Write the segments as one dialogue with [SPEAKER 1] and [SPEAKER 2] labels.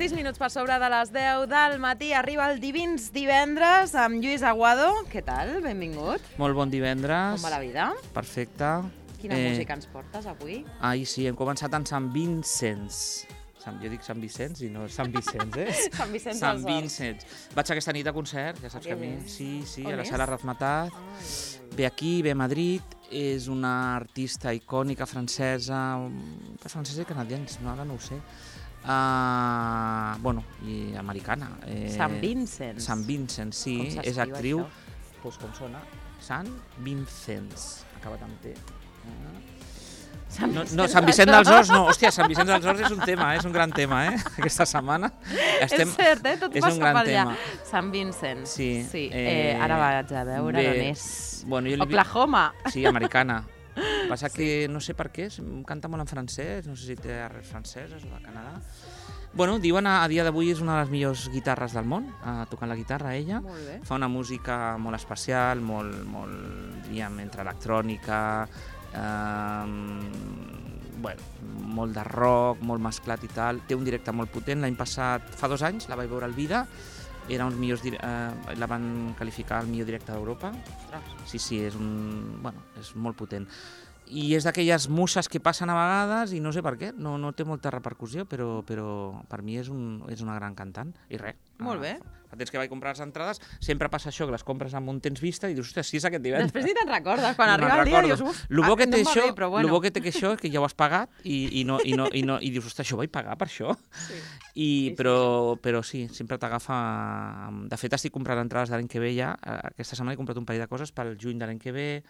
[SPEAKER 1] 6 minuts per sobre de les 10 del matí. Arriba el Divins Divendres amb Lluís Aguado. Què tal? Benvingut.
[SPEAKER 2] Molt bon divendres.
[SPEAKER 1] Com va la vida?
[SPEAKER 2] Perfecte.
[SPEAKER 1] Quina música ens portes avui?
[SPEAKER 2] Sí, hem començat amb Sant Vincents. Jo dic Sant Vicenç i no Sant Vicenç,
[SPEAKER 1] Sant Vicenç
[SPEAKER 2] Sant
[SPEAKER 1] dels Horts.
[SPEAKER 2] Vincents. Vaig aquesta nit a concert, ja saps que a mi... Sí,
[SPEAKER 1] On
[SPEAKER 2] a la
[SPEAKER 1] és?
[SPEAKER 2] Sala Razmataz. Ve aquí, ve a Madrid. És una artista icònica francesa, francesa i canadiense, ara no ho sé. I americana.
[SPEAKER 1] Sant Vincents.
[SPEAKER 2] Sant Vincents, sí.
[SPEAKER 1] Com s'escriu,
[SPEAKER 2] És actriu.
[SPEAKER 1] això?
[SPEAKER 2] Doncs com sona? Sant Vincents. Acabat amb T. No, Sant Vicent dels Horts no. Hòstia, Sant Vicent dels Horts és un tema, és un gran tema, aquesta setmana.
[SPEAKER 1] És cert, tot
[SPEAKER 2] és
[SPEAKER 1] passa
[SPEAKER 2] un gran
[SPEAKER 1] per allà.
[SPEAKER 2] tema.
[SPEAKER 1] Sant Vincent.
[SPEAKER 2] Sí.
[SPEAKER 1] Ara vaig a veure on és. Oklahoma.
[SPEAKER 2] Sí, americana. Passa que no sé per què, canta molt en francès, no sé si té arrels franceses o de Canadà. Diuen a dia d'avui és una de les millors guitarres del món, tocant la guitarra ella.
[SPEAKER 1] Molt bé.
[SPEAKER 2] Fa una música molt especial, molt diríem, entre electrònica, molt de rock, molt mesclat i tal. Té un directe molt potent. L'any passat, fa 2 anys, la vaig veure al Vida. Era uns millors, la van qualificar el millor directe d'Europa. Sí, és molt potent. I és d'aquelles muses que passen a vegades i no sé per què, no té molta repercussió, però per mi és una gran cantant. I res.
[SPEAKER 1] Molt bé.
[SPEAKER 2] Fa temps que vaig comprar les entrades, sempre passa això, que les compres amb un temps vista i dius, ostres, sí és aquest divendres.
[SPEAKER 1] Després ni te'n recordes, quan arriba el dia dius, uf,
[SPEAKER 2] no em va bé,
[SPEAKER 1] però bueno.
[SPEAKER 2] El bo que té això és que ja ho has pagat i dius, ostres, això ho vaig pagar per això. Però sí, sempre t'agafa... De fet, estic comprant entrades de l'any que ve ja. Aquesta setmana he comprat un parell de coses pel juny de l'any que ve.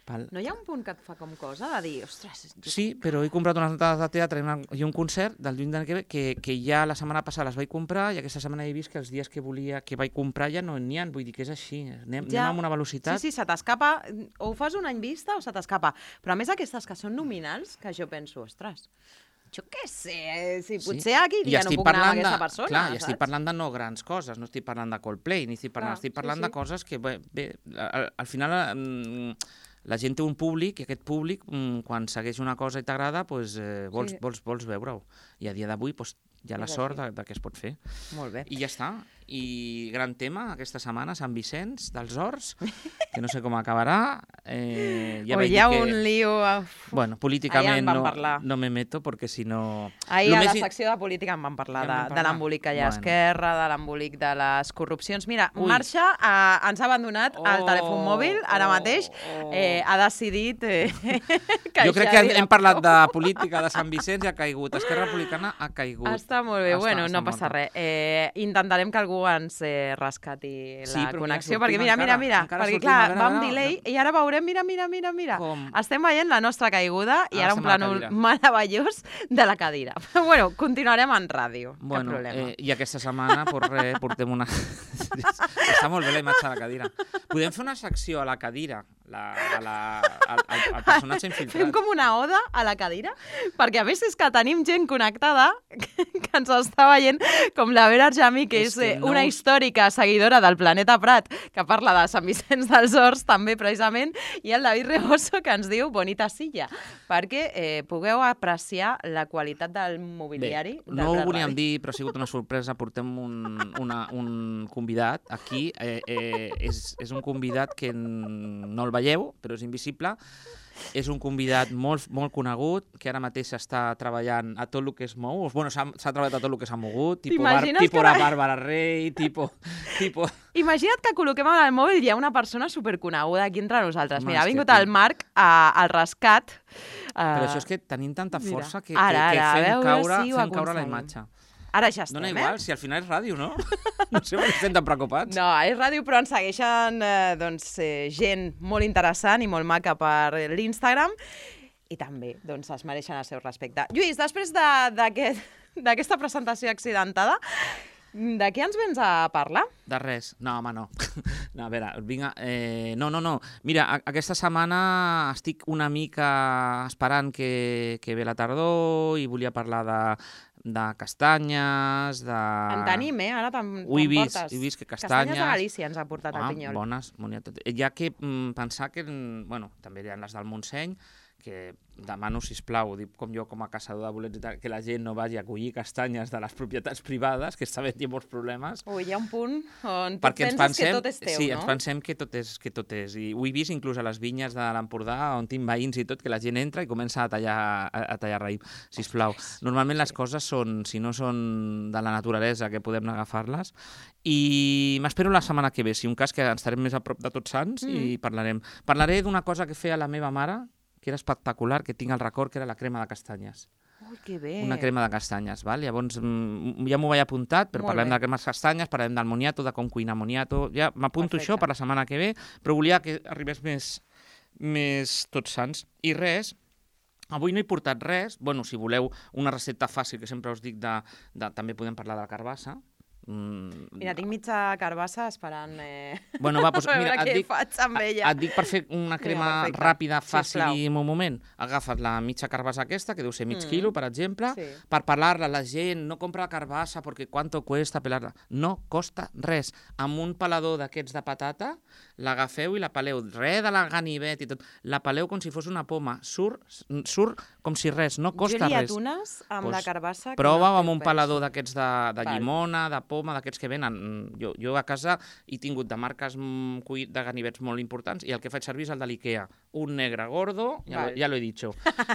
[SPEAKER 1] No hi ha un punt que et fa com cosa de dir, ostres...
[SPEAKER 2] Sí, però he comprat unes entrades de teatre i un concert del juny de l'any que ve que ja la setmana passada les vaig comprar i aquesta setmana he vist que els dies que vaig comprar ja no n'hi ha, vull dir que és així. Anem amb una velocitat...
[SPEAKER 1] Sí, se t'escapa, o ho fas un any vista o se t'escapa. Però a més aquestes que són nominals, que jo penso, ostres... Jo què sé, si potser aquí ja no puc anar amb aquesta persona,
[SPEAKER 2] clar,
[SPEAKER 1] saps?
[SPEAKER 2] I estic parlant de no grans coses, no estic parlant de Coldplay, estic parlant de coses que, al final la gent té un públic i aquest públic, quan segueix una cosa i t'agrada, vols veure-ho. I a dia d'avui hi ha la sort de que es pot fer.
[SPEAKER 1] Molt bé.
[SPEAKER 2] I ja està. I gran tema aquesta setmana, Sant Vicenç dels Horts, que no sé com acabarà.
[SPEAKER 1] Hi ha un lío...
[SPEAKER 2] Bueno, políticament no me meto, perquè si no...
[SPEAKER 1] Ahir a la secció de política en vam parlar de l'embolic que hi ha a Esquerra, de l'embolic de les corrupcions. Mira, Marxa ens ha abandonat el telèfon mòbil, ara mateix, ha decidit
[SPEAKER 2] jo crec que hem parlat de política de Sant Vicenç i ha caigut. Esquerra Republicana ha caigut.
[SPEAKER 1] Està molt bé, no passa res. Intentarem que algú ens rescati la connexió, perquè mira, perquè clar, va amb delay i ara veurem, mira. Estem veient la nostra caiguda i ara un plànol meravellós de la cadira. Bueno, continuarem en ràdio, cap problema.
[SPEAKER 2] I aquesta setmana, portem una... Està molt bé la imatge de la cadira. Podem fer una secció a la cadira, al personatge infiltrat.
[SPEAKER 1] Fem com una oda a la cadira, perquè a més és que tenim gent connectada que ens està veient, com la Vera Arjami, que és una històrica seguidora del Planeta Prat, que parla de Sant Vicenç dels Horts, també precisament, i el David Reboso, que ens diu bonita silla, perquè pugueu apreciar la qualitat del mobiliari.
[SPEAKER 2] No ho volíem dir, però ha sigut una sorpresa. Portem un convidat aquí. És un convidat que no el veieu, però és invisible. És un convidat molt conegut, que ara mateix està treballant a tot el que es mou. S'ha treballat a tot el que s'ha mogut, tipus la Bàrbara Rey, tipus...
[SPEAKER 1] Imagina't que col·loquem en el mòbil i hi ha una persona superconeguda aquí entre nosaltres. Mira, ha vingut el Marc al rescat.
[SPEAKER 2] Però això és que tenim tanta força que fem caure la imatge.
[SPEAKER 1] Ara ja estem,
[SPEAKER 2] Dona igual, si al final és ràdio, no? No sé per què estem tan preocupats.
[SPEAKER 1] No, és ràdio, però ens segueixen gent molt interessant i molt maca per l'Instagram i també es mereixen el seu respecte. Lluís, després d'aquesta presentació accidentada, de què ens vens a parlar?
[SPEAKER 2] De res. No, home, no. No, a veure, vinga... No. Mira, aquesta setmana estic una mica esperant que ve la tardor i volia parlar de castanyes, de...
[SPEAKER 1] En tenim, ara te'n portes.
[SPEAKER 2] He vist que castanyes...
[SPEAKER 1] Castanyes de Galícia ens ha portat el Pinyol.
[SPEAKER 2] Bones, hi ha que pensar que, també hi ha les del Montseny, que demano, sisplau, dic com jo com a caçador de bolets i tal, que la gent no vagi a collir castanyes de les propietats privades, que està havent-hi molts problemes.
[SPEAKER 1] Ui, hi ha un punt on tu
[SPEAKER 2] Perquè
[SPEAKER 1] penses que tot és teu,
[SPEAKER 2] sí,
[SPEAKER 1] no?
[SPEAKER 2] ens pensem que tot és. I ho he vist inclús a les vinyes de l'Empordà, on tinc veïns i tot, que la gent entra i comença a tallar raïm. Sisplau. Normalment les coses són, si no són de la naturalesa, que podem agafar-les. I m'espero la setmana que ve, si un cas que estarem més a prop de Tots Sants i parlarem. Parlaré d'una cosa que feia la meva mare, que era espectacular, que tinc el record, que era la crema de castanyes.
[SPEAKER 1] Ui, que bé.
[SPEAKER 2] Una crema de castanyes, val? Llavors ja m'ho vaig apuntat, però parlem de la crema de castanyes, parlem del moniato, de com cuinar moniato, ja m'apunto això per la setmana que ve, però volia que arribés més Tots Sants. I res, avui no he portat res, bueno, si voleu una recepta fàcil, que sempre us dic, també podem parlar de la carbassa.
[SPEAKER 1] Mira, tinc mitja carbassa esperant
[SPEAKER 2] bueno, va, doncs, mira,
[SPEAKER 1] què faig amb ella.
[SPEAKER 2] Et dic per fer una crema ràpida, fàcil i en un moment. Agafes la mitja carbassa aquesta, que deu ser mig quilo, per exemple, per pelar-la. La gent no compra la carbassa perquè quanto cuesta pelar-la. No costa res. Amb un pelador d'aquests de patata, l'agafeu i la peleu. Res de la ganivet i tot. La peleu com si fos una poma. Surt com si res, no costa res.
[SPEAKER 1] Jo li atunes amb la carbassa.
[SPEAKER 2] Prova amb un pelador d'aquests de llimona, de poma, d'aquests que venen. Jo a casa he tingut de marques de ganivets molt importants i el que faig servir és el de l'Ikea. Un negre gordo, ja lo he dit,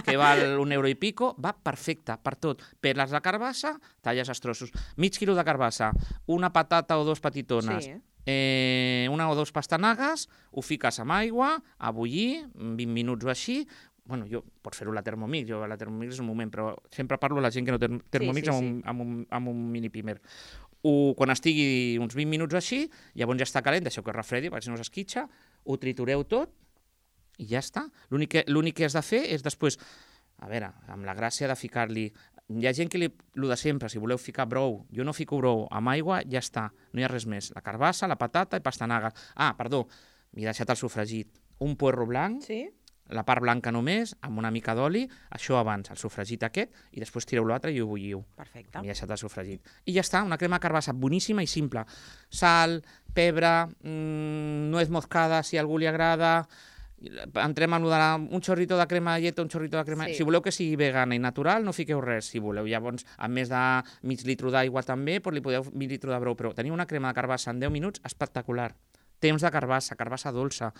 [SPEAKER 2] que val €1 i pico, va perfecte per tot. Peles la carbassa, talles els trossos. Mig quilo de carbassa, una patata o dos petitones, una o dos pastanagues, ho fiques amb aigua, a bullir, 20 minuts o així. Bueno, pots fer-ho a la Thermomix, jo a la Thermomix és un moment, però sempre parlo a la gent que no té Thermomix amb un mini primer. Quan estigui uns 20 minuts així, llavors ja està calent, deixeu que es refredi, perquè si no s'esquitxa, ho tritureu tot i ja està. L'únic que has de fer és després, a veure, amb la gràcia de ficar-li... Hi ha gent que el de sempre, si voleu ficar brou, jo no fico brou, amb aigua ja està, no hi ha res més. La carbassa, la patata i pastanagues. Ah, perdó, m'he deixat el sofregit. Un puerro blanc, la part blanca només, amb una mica d'oli, això abans, el sofregit aquest, i després tireu l'altre i ho bulliu.
[SPEAKER 1] Perfecte.
[SPEAKER 2] M'he deixat el sofregit. I ja està, una crema de carbassa boníssima i simple. Sal, pebre, nuez moscada, si a algú li agrada, entrem amb un xorrito de crema de llet, un xorrito de crema... Si voleu que sigui vegana i natural, no fiqueu res, si voleu. Llavors, a més de mig litro d'aigua també, li podeu mig litro de brou, però teniu una crema de carbassa en 10 minuts espectacular. Temps de carbassa dolça.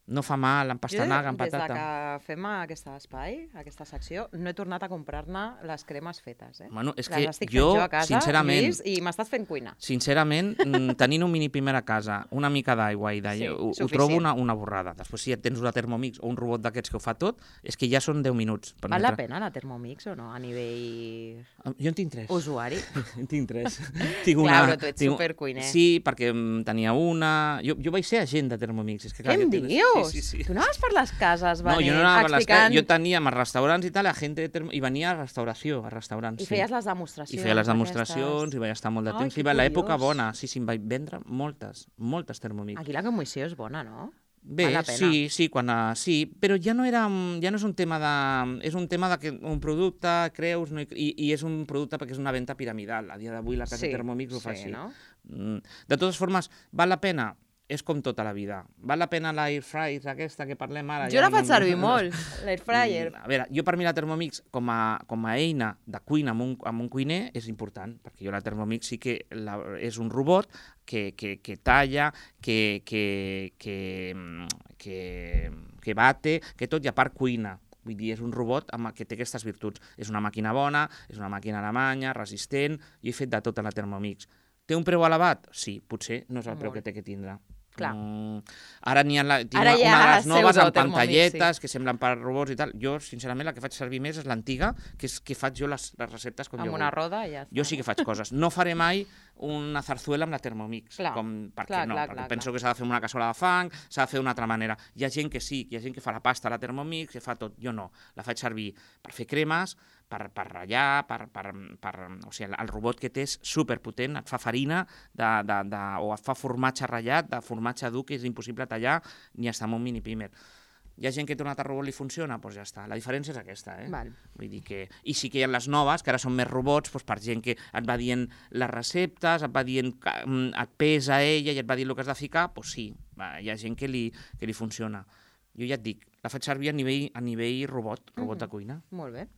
[SPEAKER 2] No fa mal, amb pastanaga, amb patata.
[SPEAKER 1] Des que fem aquest espai, aquesta secció, no he tornat a comprar-ne les cremes fetes.
[SPEAKER 2] Bueno, és que jo, sincerament...
[SPEAKER 1] I m'estàs fent cuina.
[SPEAKER 2] Sincerament, tenint un mini primer a casa, una mica d'aigua i ho trobo una borrada. Després, si tens una Thermomix o un robot d'aquests que ho fa tot, és que ja són 10 minuts.
[SPEAKER 1] Val la pena la Thermomix o no, a nivell...
[SPEAKER 2] Jo en tinc 3.
[SPEAKER 1] Usuari.
[SPEAKER 2] En tinc 3.
[SPEAKER 1] Clar, però tu ets supercuiner.
[SPEAKER 2] Sí, perquè tenia una... Jo vaig ser agent de Thermomix.
[SPEAKER 1] Què em dius?
[SPEAKER 2] Sí.
[SPEAKER 1] Tu anaves per les cases,
[SPEAKER 2] no, jo no anava per les cases, jo tenia els restaurants i tal, la gent i venia a restauració, a restaurants.
[SPEAKER 1] I feies les demostracions.
[SPEAKER 2] I feia les demostracions, i vaig estar molt de temps. I l'època bona, sí, em vaig vendre moltes Thermomix.
[SPEAKER 1] Aquí la commissió és bona, no?
[SPEAKER 2] Bé, sí, però ja no és un tema de... És un tema de que un producte creus i és un producte perquè és una venda piramidal. A dia d'avui la casa Thermomix ho fa així. De totes formes, val la pena? És com tota la vida. Val la pena l'air fryer aquesta que parlem ara?
[SPEAKER 1] Jo la faig servir molt, l'air fryer.
[SPEAKER 2] A veure, jo per mi la Thermomix com a eina de cuina amb un cuiner és important, perquè jo la Thermomix sí que és un robot que talla, que bate, que tot, i a part cuina. Vull dir, és un robot que té aquestes virtuts. És una màquina bona, és una màquina alemanya, resistent, i he fet de tot a la Thermomix. Té un preu elevat? Sí, potser no és el preu que té que tindre.
[SPEAKER 1] Clar.
[SPEAKER 2] Ara n'hi ha una de les noves amb pantalletes que semblen per robots i tal. Jo, sincerament, la que faig servir més és l'antiga, que és que faig jo les receptes com jo vull.
[SPEAKER 1] Amb una roda i ja està.
[SPEAKER 2] Jo sí que faig coses. No faré mai una zarzuela amb la Thermomix. Per què no? Perquè penso que s'ha de fer una cassola de fang, s'ha de fer d'una altra manera. Hi ha gent que sí, hi ha gent que fa la pasta a la Thermomix, que fa tot. Jo no. La faig servir per fer cremes, per ratllar, o sigui, el robot que té és superpotent, et fa farina o et fa formatge ratllat, de formatge dur que és impossible tallar ni estar amb un mini primer. Hi ha gent que té un altre robot i li funciona, doncs ja està. La diferència és aquesta, Vull dir que... I sí que hi ha les noves, que ara són més robots, per gent que et va dient les receptes, et va dient, et pesa ella i et va dir el que has de ficar, doncs sí, hi ha gent que li funciona. jo ja et dic, la faig servir a nivell robot de cuina.
[SPEAKER 1] Molt bé.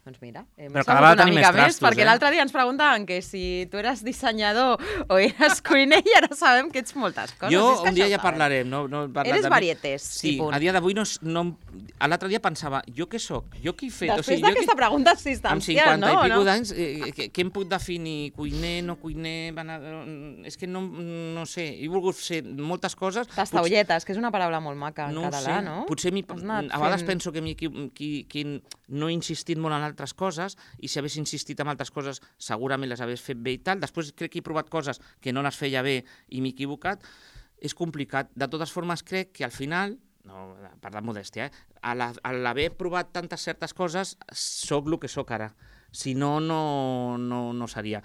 [SPEAKER 1] Doncs mira,
[SPEAKER 2] però cada vegada tenim més trastos,
[SPEAKER 1] perquè l'altre dia ens preguntaven que si tu eres dissenyador o eres cuiner i ara sabem que ets moltes coses.
[SPEAKER 2] Jo un dia ja parlarem.
[SPEAKER 1] Eres varietés.
[SPEAKER 2] Sí, a dia d'avui l'altre dia pensava, jo què soc? Jo què he fet?
[SPEAKER 1] Després d'aquesta pregunta existencial, no?
[SPEAKER 2] Amb 50 i pico d'anys, què em puc definir? Cuiner, no cuiner? És que no sé, he volgut ser moltes coses.
[SPEAKER 1] Tastaolletes, que és una paraula molt maca en català, no?
[SPEAKER 2] Potser a vegades penso que no he insistit molt en altres coses, i si hagués insistit en altres coses segurament les hagués fet bé i tal. Després crec que he provat coses que no les feia bé i m'he equivocat. És complicat. De totes formes, crec que al final, no, per la modèstia, a l'haver provat tantes certes coses, sóc el que sóc ara. Si no, no seria.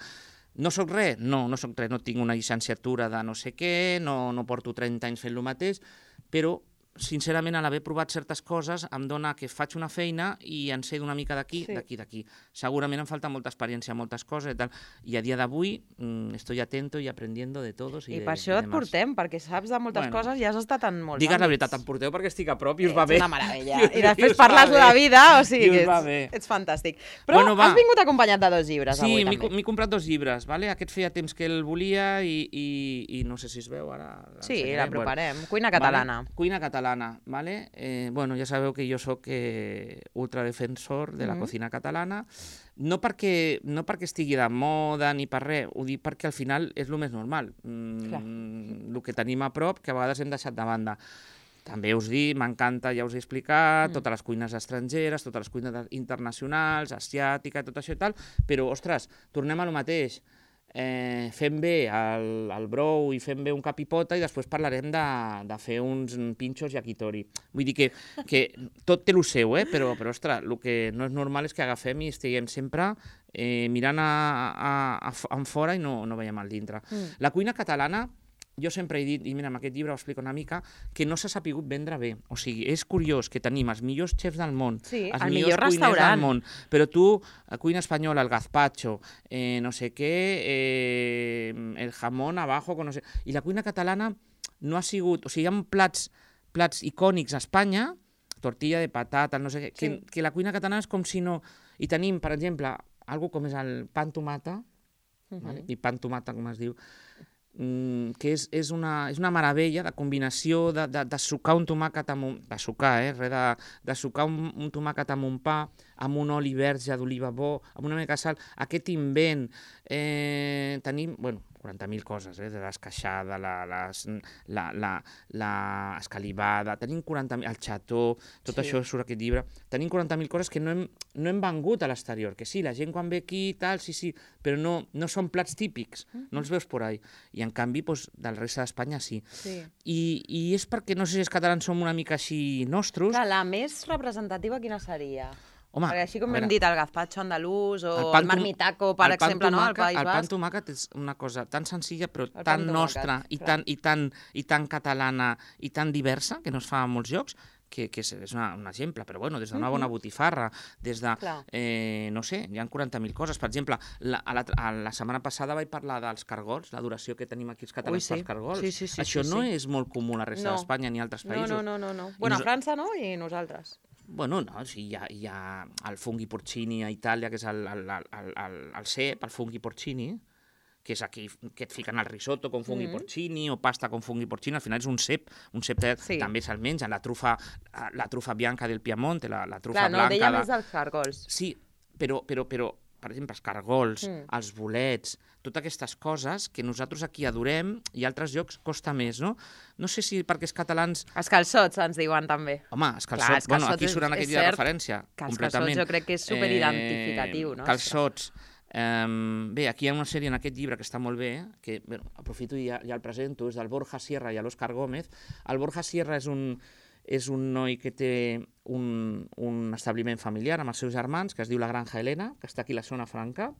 [SPEAKER 2] No sóc res? No sóc res. No tinc una llicenciatura de no sé què, no porto 30 anys fent el mateix, però sincerament, a l'haver provat certes coses, em dona que faig una feina i en sé d'una mica d'aquí, d'aquí. Segurament em falta molta experiència, moltes coses i tal. I a dia d'avui estoy atento y aprendiendo de todos.
[SPEAKER 1] I per això et portem, perquè saps de moltes coses i has estat en molts àmbits.
[SPEAKER 2] Digues la veritat, em porteu perquè estic a prop i us va bé.
[SPEAKER 1] És una meravella. I després parles de la vida, o sigui que ets fantàstic. Però has vingut acompanyat de 2 llibres avui també.
[SPEAKER 2] Sí, m'he comprat 2 llibres. Aquest feia temps que el volia i no sé si es veu ara.
[SPEAKER 1] Sí, l'aproparem. Cuina catalana.
[SPEAKER 2] Cuina catalana. Ja sabeu que jo soc ultradefensor de la cocina catalana, no perquè estigui de moda ni per res, ho dic perquè al final és el més normal, el que tenim a prop que a vegades hem deixat de banda. També us dic, m'encanta, ja us he explicat, totes les cuines estrangeres, totes les cuines internacionals, asiàtica, tot això i tal, però, ostres, tornem a lo mateix. Fem bé el brou i fem bé un cap i pota i després parlarem de fer uns pinxos yakitori. Vull dir que tot té el seu, però ostres, el que no és normal és que agafem i estiguem sempre mirant en fora i no veiem al dintre. La cuina catalana, jo sempre he dit, i mira, amb aquest llibre ho explico una mica, que no s'ha sapigut vendre bé. O sigui, és curiós que tenim els millors xefs del món, els millors cuiners del món, però tu, a cuina espanyola, el gazpacho, no sé què, el jamón abajo, no sé... I la cuina catalana no ha sigut... O sigui, hi ha plats icònics a Espanya, tortilla de patata, no sé què, que la cuina catalana és com si no... I tenim, per exemple, algo com és el pa amb tomata, i pa amb tomata, com es diu, que és una meravella de combinació de sucar un tomàquet amb de sucar un tomàquet amb un pa, amb un oli verge d'oliva bo, amb una mica de sal, aquest invent, tenim, 40.000 coses, de l'esqueixada, l'escalivada, tenim 40.000, el xató, tot això surt aquest llibre, tenim 40.000 coses que no hem vengut a l'exterior, que sí, la gent quan ve aquí i tal, sí, però no són plats típics, no els veus por ahí, i en canvi del reste d'Espanya sí. I és perquè, no sé si els catalans som una mica així nostres.
[SPEAKER 1] La més representativa quina seria?
[SPEAKER 2] Home,
[SPEAKER 1] perquè així com hem dit, el gazpacho andalús o el marmitaco, per exemple, al País Basc.
[SPEAKER 2] El pa amb tomàquet és una cosa tan senzilla però tan nostra i tan catalana i tan diversa, que no es fa en molts llocs, que és un exemple, però des d'una bona botifarra, des de, no sé, hi ha 40.000 coses. Per exemple, la setmana passada vaig parlar dels cargols, l'adoració que tenim aquí els catalans pels cargols. Això no és molt comú a la resta d'Espanya ni a altres països.
[SPEAKER 1] No. Bueno, a França no, i nosaltres.
[SPEAKER 2] Bueno, no, sí, hi ha el funghi porcini a Itàlia, que és el cep, el funghi porcini, que és aquí que et fiquen el risotto con funghi porcini o pasta con funghi porcini, al final és un cep també se'l menja, la trufa bianca del Piemonte, la trufa blanca... Clar, no,
[SPEAKER 1] deia més dels cargols.
[SPEAKER 2] Sí, però per exemple, els cargols, els bolets, totes aquestes coses que nosaltres aquí adorem i a altres llocs costa més, no? No sé si perquè els catalans...
[SPEAKER 1] Els calçots ens diuen també.
[SPEAKER 2] Home, els calçots, aquí suren aquest dia de referència, completament.
[SPEAKER 1] Els calçots jo crec que és superidentificatiu, no?
[SPEAKER 2] Calçots. Bé, aquí hi ha una sèrie en aquest llibre que està molt bé, que aprofito i ja el presento, és del Borja Sierra i l'Òscar Gómez. El Borja Sierra és un noi que té un establiment familiar amb els seus germans, que es diu La Granja Helena, que està aquí a la zona franca,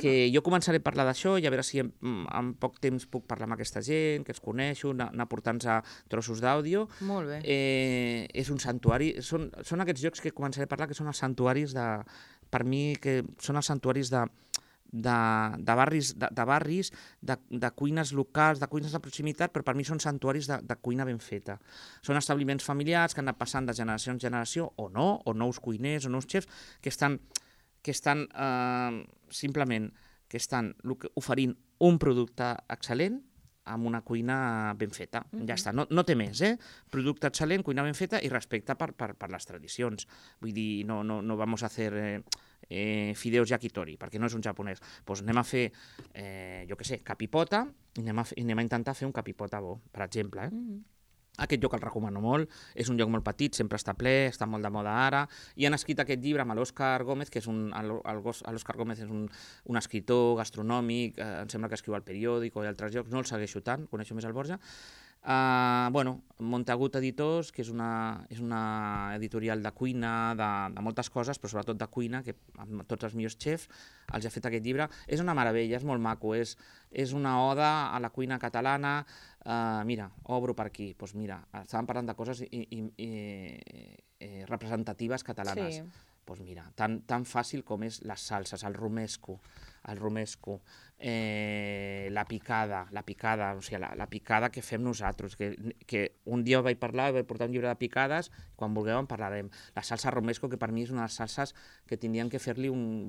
[SPEAKER 2] que jo començaré a parlar d'això i a veure si en poc temps puc parlar amb aquesta gent, que els coneixo, anar portant-nos a trossos d'àudio.
[SPEAKER 1] Molt bé.
[SPEAKER 2] És un santuari, són aquests llocs que començaré a parlar que són els santuaris per mi, que són els santuaris barris, de cuines locals, de cuines de proximitat, però per mi són santuaris de cuina ben feta. Són establiments familiars que han anat passant de generació en generació, o nous cuiners, o nous xefs, que estan simplement oferint un producte excel·lent amb una cuina ben feta. Ja està, no té més, Producte excel·lent, cuina ben feta i respecte per les tradicions. Vull dir, no vamos a hacer fideos yakitori, perquè no és un japonès. Doncs anem a fer, jo què sé, capipota, i anem a intentar fer un capipota bo, per exemple, Aquest lloc el recomano molt, és un lloc molt petit, sempre està ple, està molt de moda ara, i han escrit aquest llibre amb l'Òscar Gómez, que és l'Òscar Gómez és un escriptor gastronòmic, em sembla que escriu al Periòdico i altres llocs, no el segueixo tant, coneixo més el Borja. Montagut Editors, que és una editorial de cuina, de moltes coses, però sobretot de cuina, que amb tots els millors xefs els ha fet aquest llibre. És una meravella, és molt maco, és una oda a la cuina catalana. Mira, obro per aquí, doncs mira, estàvem parlant de coses representatives catalanes. Doncs mira, tan fàcil com és les salses, el romesco, la picada, o sigui, la picada que fem nosaltres, que un dia vaig portar un llibre de picades, quan vulgueu en parlarem. La salsa romesco, que per mi és una de les salses que tindrien que fer-li un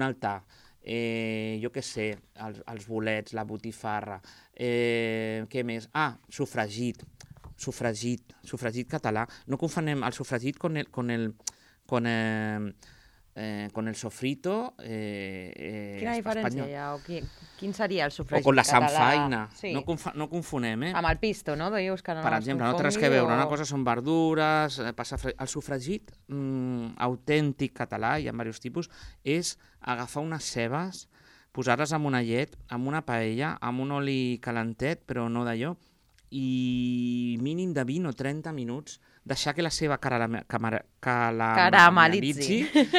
[SPEAKER 2] altar. Jo què sé, els bolets, la botifarra, què més? Sofregit català. No confonem el sofregit con el sofrito
[SPEAKER 1] Quina diferència hi ha? Quin seria el sofregit català?
[SPEAKER 2] O con la samfaina. No confonem,
[SPEAKER 1] Amb el pisto, no?
[SPEAKER 2] Per exemple, no té res que veure. Una cosa són verdures, el sofregit autèntic català, hi ha diversos tipus, és agafar unes cebes, posar-les en una llet, en una paella, amb un oli calentet, però no d'allò, i mínim de 20 o 30 minuts deixar que la ceba caramelitzi,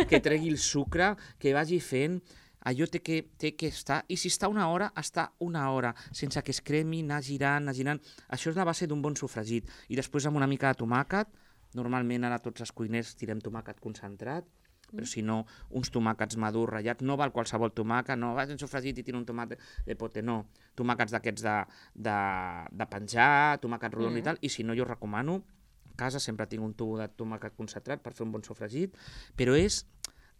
[SPEAKER 2] que tregui el sucre, que vagi fent, allò té que estar, i si està una hora, està una hora, sense que es cremi, anar girant. Això és la base d'un bon sofregit. I després amb una mica de tomàquet, normalment ara tots els cuiners tirem tomàquet concentrat, però si no, uns tomàquets madurs ratllats, no val qualsevol tomàquet, no vaig en sofregit i tiro un tomàquet de pote, no. Tomàquets d'aquests de penjar, tomàquets rodons i tal, i si no, jo recomano, a casa sempre tinc un tubo de tomàquet concentrat per fer un bon sofregit, però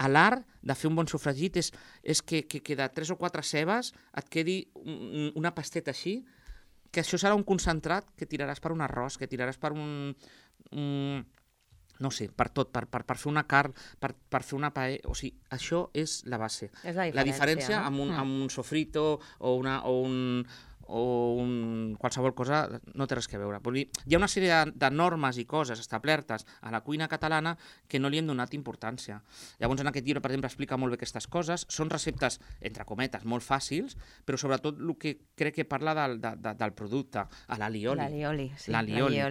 [SPEAKER 2] l'art de fer un bon sofregit és que de 3 o 4 cebes et quedi una pasteta així, que això serà un concentrat que tiraràs per un arròs, que tiraràs per no sé, per tot, per fer una carn, per fer una paella, o sigui, això és la base.
[SPEAKER 1] És la diferència.
[SPEAKER 2] La diferència amb un sofrito o qualsevol cosa no té res a veure. Hi ha una sèrie de normes i coses establertes a la cuina catalana que no li hem donat importància. Llavors, en aquest llibre, per exemple, explica molt bé aquestes coses. Són receptes, entre cometes, molt fàcils, però sobretot el que crec que parla del producte, a l'alioli.
[SPEAKER 1] L'alioli.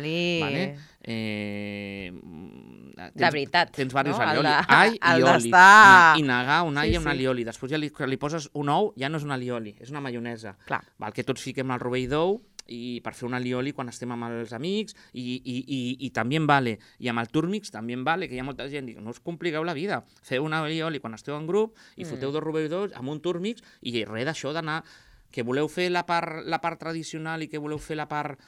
[SPEAKER 1] De veritat.
[SPEAKER 2] Tens diversos alioli. All i oli. I negar un all i un alioli. Després ja li poses un ou, ja no és un alioli, és una maionesa. Val, que tots fiquem el rovell d'ou i per fer un alioli quan estem amb els amics i també en vale. I amb el túrmix també en vale, que hi ha molta gent que diu, no us compliqueu la vida, feu un alioli quan esteu en grup i foteu 2 rovells d'ous amb un túrmix i res d'això d'anar que voleu fer la part tradicional i que voleu fer la part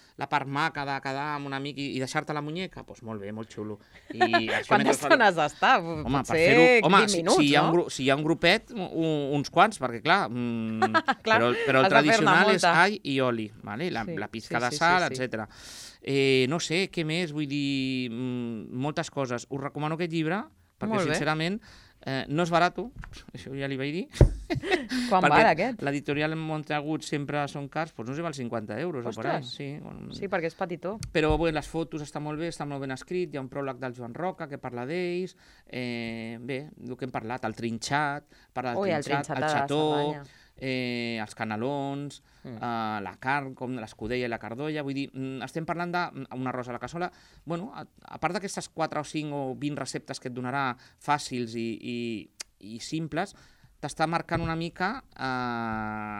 [SPEAKER 2] maca de quedar amb un amic i deixar-te la muñeca, doncs molt bé, molt xulo.
[SPEAKER 1] Quantes estones d'estar? Potser 20 minuts, no?
[SPEAKER 2] Si hi ha un grupet, uns quants, perquè clar, però el tradicional és all i oli, la pizca de sal, etc. No sé, què més? Vull dir, moltes coses. Us recomano aquest llibre, perquè sincerament no és barat, això ja li vaig dir.
[SPEAKER 1] Quan val aquest?
[SPEAKER 2] L'editorial Montagut sempre són cars, doncs no sé, val 50 euros.
[SPEAKER 1] Ostres! Sí, perquè és petitó.
[SPEAKER 2] Però les fotos estan molt bé, està molt ben escrit, hi ha un pròleg del Joan Roca que parla d'ells, bé, el que hem parlat, el trinxat, parla del trinxat, el xató, els canelons, la carn, com l'escudella i la cardolla, vull dir, estem parlant d'un arròs a la cassola. Bueno, a part d'aquestes 4 o 5 o 20 receptes que et donarà fàcils i simples, t'està marcant una mica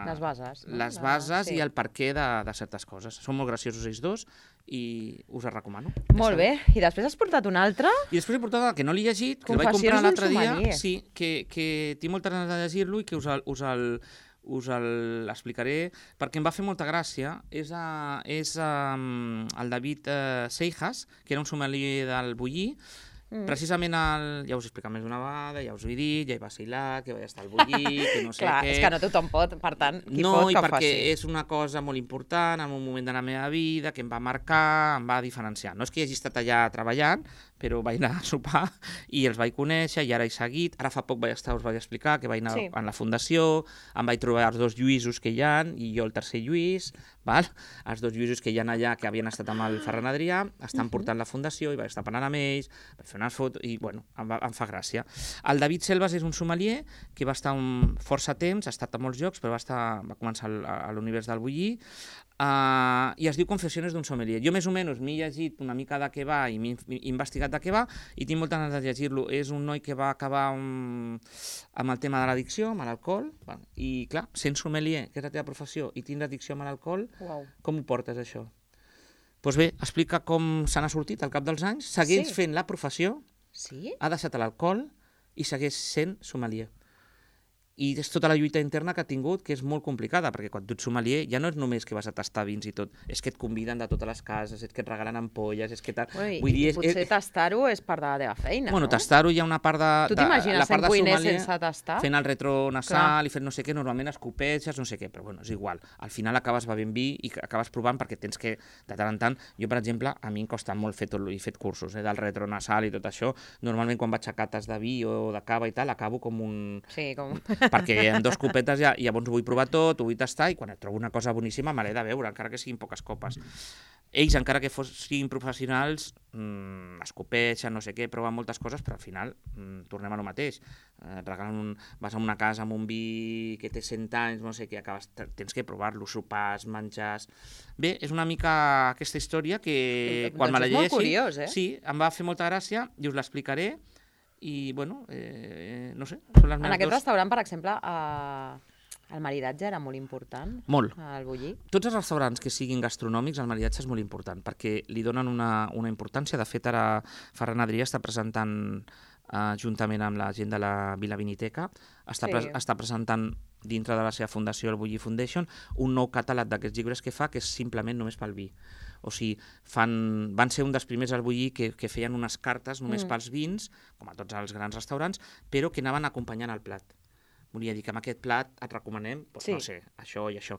[SPEAKER 1] les bases, no?
[SPEAKER 2] les bases i el perquè de certes coses. Són molt graciosos ells dos i us els recomano.
[SPEAKER 1] Molt bé. I després has portat un altre?
[SPEAKER 2] I després he portat el que no l'he llegit, que el vaig comprar l'altre dia. Sí, que tinc moltes ganes de llegir-lo i que us l'explicaré perquè em va fer molta gràcia. És el David Seijas, que era un sommelier del Bulli. Precisament, ja us he explicat més d'una vegada, ja us ho he dit, ja hi va vacilar, que vaig estar al Bulli, que no sé
[SPEAKER 1] Clar,
[SPEAKER 2] què...
[SPEAKER 1] és que no tothom pot, per tant, qui
[SPEAKER 2] no,
[SPEAKER 1] pot que ho faci.
[SPEAKER 2] No, i perquè és una cosa molt important en un moment de la meva vida, que em va marcar, em va diferenciar. No és que hi hagi estat allà treballant, però vaig anar a sopar i els vaig conèixer i ara he seguit. Ara fa poc us vaig explicar que vaig anar a la fundació, em vaig trobar els 2 Lluïsos que hi ha, i jo el tercer Lluís, val? Els 2 Lluïsos que hi ha allà, que havien estat amb el Ferran Adrià, estan portant la fundació i vaig estar parlant amb ells, vaig fer unes fotos i, bueno, em fa gràcia. El David Selvas és un sommelier que va estar força temps, ha estat a molts llocs, però va començar a l'univers del Bulli, i es diu Confessiones d'un sommelier. Jo més o menys m'he llegit una mica de què va i m'he investigat de què va i tinc moltes ganes de llegir-lo. És un noi que va acabar amb el tema de l'addicció, amb l'alcohol, i clar, sent sommelier, que és la teva professió, i tindre addicció amb l'alcohol, com ho portes això? Doncs bé, explica com se n'ha sortit al cap dels anys, segueix fent la professió, ha deixat l'alcohol i segueix sent sommelier. I és tota la lluita interna que ha tingut, que és molt complicada, perquè quan tu ets sommelier ja no és només que vas a tastar vins i tot, és que et conviden de totes les cases, és que et regalen ampolles, és que...
[SPEAKER 1] Potser tastar-ho és part de la teva feina, no?
[SPEAKER 2] Bueno, tastar-ho hi ha una part de...
[SPEAKER 1] Tu t'imagines sent cuiner sense tastar?
[SPEAKER 2] Fent el retronasal i fent no sé què, normalment escopetges, no sé què, però bueno, és igual. Al final acabes bevent vi i acabes provant perquè tens que, de tant en tant, jo per exemple, a mi em costa molt fer cursos del retronasal i tot això. Normalment quan vaig a cates de vi o de cava i tal, acabo com un...
[SPEAKER 1] Sí, com...
[SPEAKER 2] perquè en 2 copetes ja llavors ho vull provar tot, ho vull tastar i quan et trobo una cosa boníssima me l'he de veure, encara que siguin poques copes. Ells, encara que siguin professionals, escopeixen, no sé què, proven moltes coses, però al final tornem a lo mateix. Vas a una casa amb un vi que té 100 anys, no sé què, tens que provar-lo, sopars, menjars... Bé, és una mica aquesta història que quan me la llegeixi...
[SPEAKER 1] És molt curiós, eh?
[SPEAKER 2] Sí, em va fer molta gràcia i us l'explicaré. I, bueno, no sé, són les meves
[SPEAKER 1] En aquest restaurant, per exemple, el maridatge era molt important?
[SPEAKER 2] Molt.
[SPEAKER 1] Al Bulli?
[SPEAKER 2] Tots els restaurants que siguin gastronòmics, el maridatge és molt important, perquè li donen una importància. De fet, ara Ferran Adrià està presentant, juntament amb la gent de la Vila Viniteca, està presentant dintre de la seva fundació, el Bulli Foundation, un nou catàleg d'aquests llibres que fa, que és simplement només pel vi. O sigui, van ser un dels primers al Bulli que feien unes cartes només pels vins, com a tots els grans restaurants, però que anaven acompanyant el plat. Volia dir que amb aquest plat et recomanem, no sé, això i això.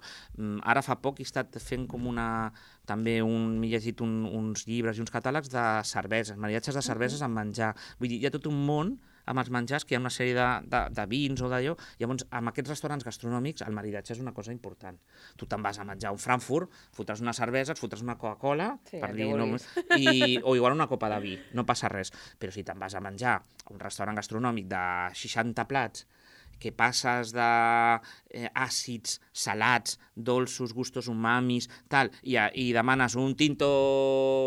[SPEAKER 2] Ara fa poc he estat fent com m'he llegit uns llibres i uns catàlegs de cerveses, maridatges de cerveses amb menjar. Vull dir, hi ha tot un món amb els menjars, que hi ha una sèrie de vins o d'allò. Llavors, amb aquests restaurants gastronòmics, el maridatge és una cosa important. Tu te'n vas a menjar un Frankfurt, fotràs una cervesa, et fotràs una Coca-Cola, o igual una copa de vi, no passa res. Però si te'n vas a menjar a un restaurant gastronòmic de 60 plats, que passes d'àcids, salats, dolços, gustos umamis, tal, i demanes un tinto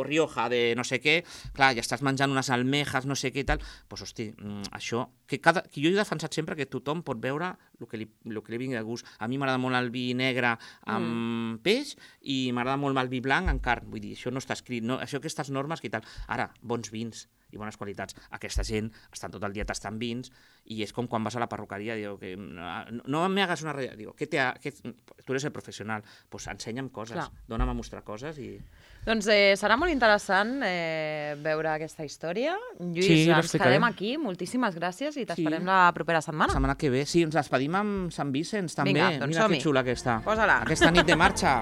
[SPEAKER 2] Rioja de no sé què, clar, ja estàs menjant unes almejas, no sé què i tal, doncs, hosti, això... que jo he defensat sempre que tothom pot veure el que li vingui de gust. A mi m'agrada molt el vi negre amb peix i m'agrada molt el vi blanc amb carn. Vull dir, això no està escrit, no? Això, aquestes normes que tal. Ara, bons vins i bones qualitats. Aquesta gent estan tot el dia tastant vins i és com quan vas a la perruqueria, diu que no me hagas una ratlla, diu, tu eres el professional, doncs ensenya'm coses, dona'm a mostrar coses i...
[SPEAKER 1] Doncs serà molt interessant veure aquesta història. Lluís, ens quedem aquí, moltíssimes gràcies i t'esperem la propera setmana.
[SPEAKER 2] La setmana que ve, sí, ens despedim amb Sant Vicenç també.
[SPEAKER 1] Vinga, doncs som-hi.
[SPEAKER 2] Mira que xula aquesta.
[SPEAKER 1] Posa-la.
[SPEAKER 2] Aquesta nit de marxa.